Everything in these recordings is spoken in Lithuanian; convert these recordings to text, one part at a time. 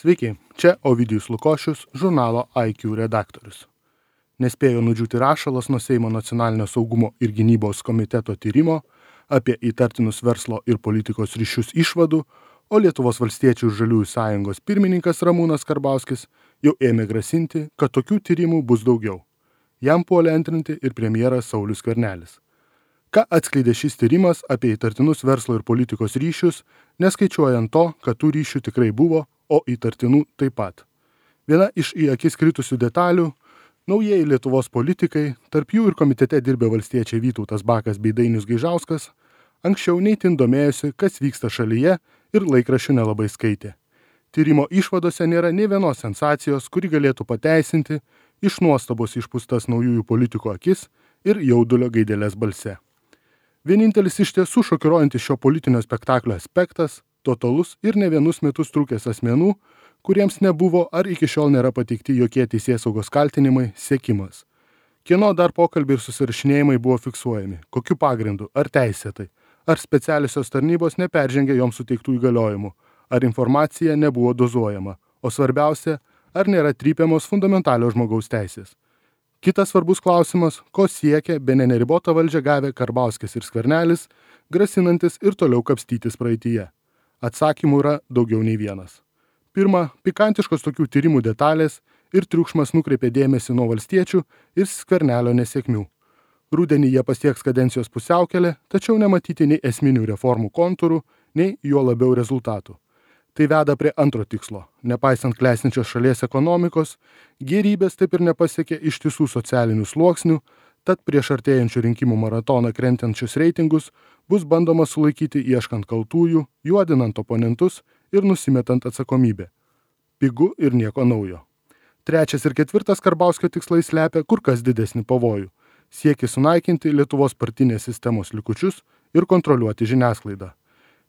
Sveiki, čia Ovidijus Lukošius, žurnalo IQ redaktorius. Nespėjo nudžiūti rašalas nuo Seimo nacionalinio saugumo ir gynybos komiteto tyrimo apie įtartinus verslo ir politikos ryšius išvadų, o Lietuvos valstiečių ir žaliųjų sąjungos pirmininkas Ramūnas Karbauskis jau ėmė grasinti, kad tokių tyrimų bus daugiau. Jam puolė antrinti ir premjeras Saulius Skvernelis. Ką atskleidė šis tyrimas apie įtartinus verslo ir politikos ryšius, neskaičiuojant to, kad tų ryšių tikrai buvo, o įtartinų taip pat. Viena iš į akis kritusių detalių – naujieji Lietuvos politikai, tarp jų ir komitete dirbę valstiečiai Vytautas Bakas bei Dainius Gaižauskas, anksčiau neįtin domėjosi, kas vyksta šalyje ir laikraščių nelabai skaitė. Tyrimo išvadose nėra nė vienos sensacijos, kuri galėtų pateisinti iš nuostabos išpūstas naujųjų politikų akis ir jaudulio gaidelės balse. Vienintelis iš tiesų šokiruojantis šio politinio spektaklio aspektas – totalus ir ne vienus metus trukęs asmenų, kuriems nebuvo ar iki šiol nėra pateikti jokie teisėsaugos kaltinimai, sekimas. Kieno dar pokalbiai ir susirašinėjimai buvo fiksuojami, kokiu pagrindu, ar teisėtai, ar specialiosios tarnybos neperžengė joms suteiktų įgaliojimų, ar informacija nebuvo dozuojama, o svarbiausia, ar nėra trypiamos fundamentalios žmogaus teisės. Kitas svarbus klausimas, ko siekia bene neribotą valdžią gavę Karbauskis ir Skvernelis, grasinantis ir toliau kapstytis praeityje. Atsakymų yra daugiau nei vienas. Pirma, pikantiškos tokių tyrimų detalės ir triukšmas nukreipė dėmesį nuo valstiečių ir Skvernelio nesėkmių. Rudenį jie pasieks kadencijos pusiaukelę, tačiau nematyti nei esminių reformų kontūrų, nei juo labiau rezultatų. Tai veda prie antro tikslo. Nepaisant klestinčios šalies ekonomikos, gėrybės taip ir nepasiekė ištisų socialinių sluoksnių, tad prieš artėjančių rinkimų maratoną krentančius reitingus bus bandoma sulaikyti ieškant kaltųjų, juodinant oponentus ir nusimetant atsakomybę. Pigu ir nieko naujo. Trečias ir ketvirtas Karbauskio tikslai slepia kur kas didesnį pavojų. Siekis sunaikinti Lietuvos partinės sistemos likučius ir kontroliuoti žiniasklaidą.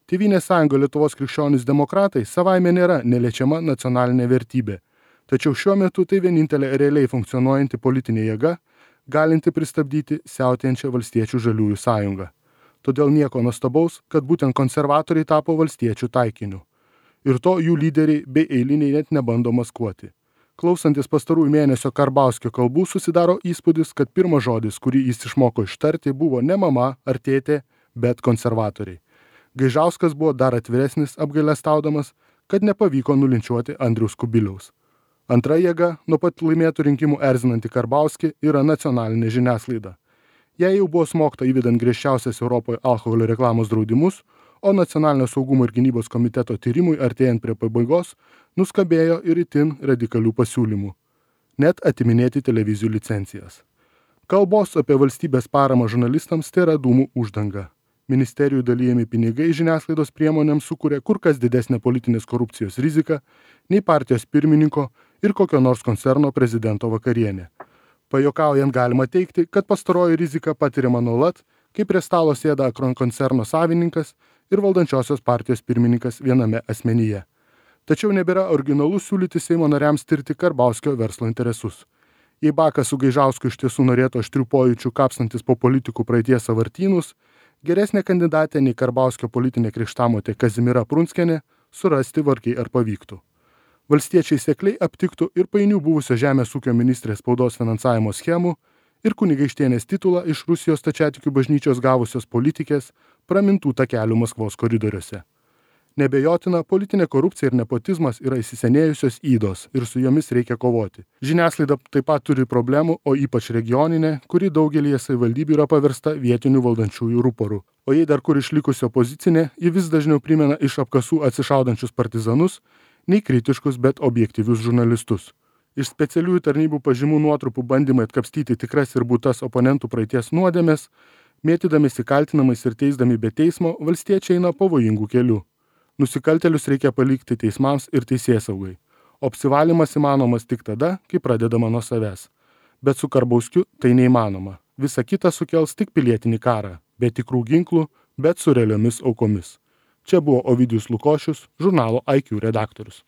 Tėvynės sąjunga Lietuvos krikščionys demokratai savaime nėra neliečiama nacionalinė vertybė, tačiau šiuo metu tai vienintelė realiai funkcionuojanti politinė jėga, galinti pristabdyti siautėjančią valstiečių žaliųjų sąjungą. Todėl nieko nuostabaus, kad būtent konservatoriai tapo valstiečių taikiniu. Ir to jų lyderiai bei eiliniai net nebando maskuoti. Klausantis pastarųjų mėnesio Karbauskio kalbų susidaro įspūdis, kad pirmas žodis, kurį jis išmoko ištarti, buvo ne mama ar tėtė, bet konservatoriai. Gaižauskas buvo dar atviresnis, apgailestaudamas, kad nepavyko nulinčiuoti Andriaus Kubiliaus. Antra jėga, nuo pat laimėtų rinkimų erzinanti Karbauskį, yra nacionalinė žiniasklaida. Jei jau buvo smogta įvedant griežčiausias Europoje alkoholio reklamos draudimus, o nacionalinio saugumo ir gynybos komiteto tyrimui artėjant prie pabaigos, nuskambėjo ir itin radikalių pasiūlymų. Net atiminėti televizijų licencijas. Kalbos apie valstybės paramą žurnalistams tai yra dūmų uždanga. Ministerijų dalijami pinigai žiniasklaidos priemonėms sukuria kur kas didesnę politinės korupcijos riziką nei partijos pirmininko ir kokio nors koncerno prezidento vakarienė. Pajuokaujant galima teigti, kad pastaroji rizika patiriama nuolat, kai prie stalo sėda Akron koncerno savininkas ir valdančiosios partijos pirmininkas viename asmenyje. Tačiau nebėra originalu siūlyti Seimo nariams tirti Karbauskio verslo interesus. Jei Bakas su Gaižausku iš tiesų norėtų aštrių pojūčių kapstantis po politikų praeities sąvartynus, geresnė kandidatė nei Karbauskio politinė krikštamotė Kazimiera Prunskienė surasti vargiai ar pavyktų. Valstiečiai sekliai aptiktų ir painių buvusio žemės ūkio ministrės spaudos finansavimo schemų ir kunigaikštienės titulą iš Rusijos stačiatikių bažnyčios gavusios politikės pramintų takelių Maskvos koridoriuose. Nebejotina, politinė korupcija ir nepotizmas yra įsisenėjusios ydos ir su jomis reikia kovoti. Žiniasklaida taip pat turi problemų, o ypač regioninė, kuri daugelyje savivaldybių yra paversta vietinių valdančiųjų ruporų. O jei dar kur išlikusi opozicinė, ji vis dažniau primena iš apkasų atsišaudančius partizanus, nei kritiškus, bet objektyvius žurnalistus. Iš specialiųjų tarnybų pažymų nuotrupų bandymai atkapstyti tikras ir būtas oponentų praeities nuodėmes, mėtydamėsi kaltinamais ir teisdami be teismo, valstiečiai eina pavojingų kelių. Nusikaltėlius reikia palikti teismams ir teisėsaugai, o apsivalymas įmanomas tik tada, kai pradedama nuo savęs. Bet su Karbauskiu tai neįmanoma. Visa kita sukels tik pilietinį karą, be tikrų ginklų, bet su realiomis aukomis. Čia buvo Ovidijus Lukošius, žurnalo IQ redaktorius.